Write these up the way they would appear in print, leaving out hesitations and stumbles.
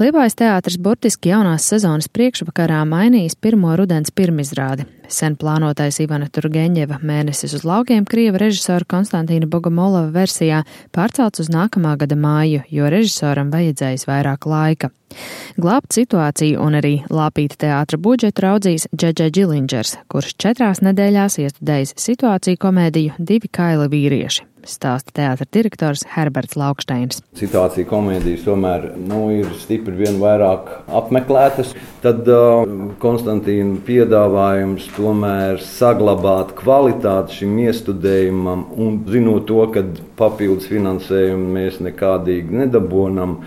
Liepājas teātris burtiski jaunās sezonas priekšvakarā mainījis pirmo rudens pirmizrādi. Sen plānotais Ivana Turgeņeva Mēnesis uz laukiem krieva režisora Konstantīna Bogomolova versijā pārcelts uz nākamā gada māju, jo režisoram vajadzējis vairāk laika. Glābt situāciju un arī lāpīt teātra budžetu raudzīs Džedžai Džilindžers, kurš 4 nedēļās iestudējis situāciju komēdiju Divi kaili vīrieši, stāsta teātra direktors Herberts Laukšteins. Situācija komēdijas tomēr ir stipri vien vairāk apmeklētas. Tad Konstantīna piedāvājums tomēr saglabāt kvalitāti šim iestudējumam un zinot to, ka papildus finansējumu mēs nekādīgi nedabonam,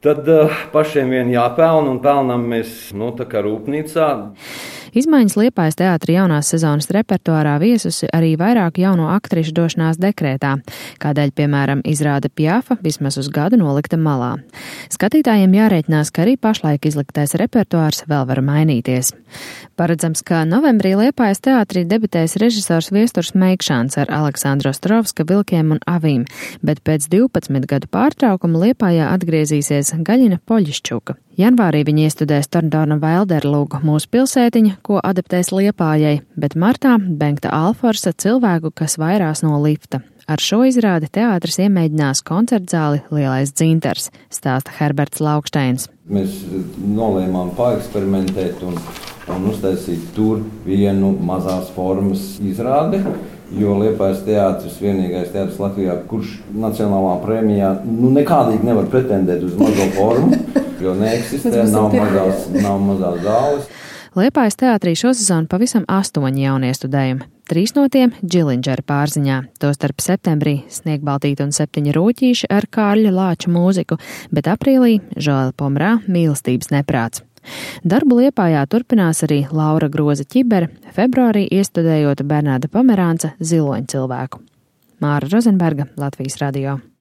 tad pašiem vien jāpelna un pelnam mēs tā kā rūpnīcā. Izmaiņas Liepājas teātra jaunās sezonas repertuārā viesusi arī vairāk jauno aktrišu došanās dekrētā, kādēļ, piemēram, izrāde Piafa vismaz uz gadu nolikta malā. Skatītājiem jārēķinās, ka arī pašlaik izliktais repertuārs vēl var mainīties. Paredzams, ka novembrī Liepājas teātrī debitēs režisors Viesturs Meikšāns ar Aleksandru Ostrovska Vilkiem un avīm, bet pēc 12 gadu pārtraukuma Liepājā atgriezīsies Gaļina Poļiščuka. Janvārī viņi iestudēs Torndona Vailderlūgu Mūsu pilsētiņa, ko adaptēs Liepājai, bet martā Bengta Alforsa Cilvēku, kas vairās no lifta. Ar šo izrādi teātris iemēģinās koncertzāli Lielais dzintars, stāsta Herberts Laukšteins. Mēs nolēmām paeksperimentēt un uztaisīt tur vienu mazās formas izrādi, jo Liepājas teātris vienīgais teātris Latvijā, kurš nacionālā prēmijā nekādīgi nevar pretendēt uz mazo formu, jo neeksistē, nav mazās zāles. Liepājas teātrī šosezon pavisam 8 jauniestudējumi. 3 no tiem Džilindžera pārziņā, tostarp septembrī Sniegbaltīte un 7 rūķīši ar Kārļa Lāču mūziku, bet aprīlī Žoela Pomrā Mīlestības neprāts. Darbu Liepājā turpinās arī Laura Groza Ķibere, februārī iestudējot Bernāda Pomerānca Ziloņcilvēku. Māra Rozenberga, Latvijas radio.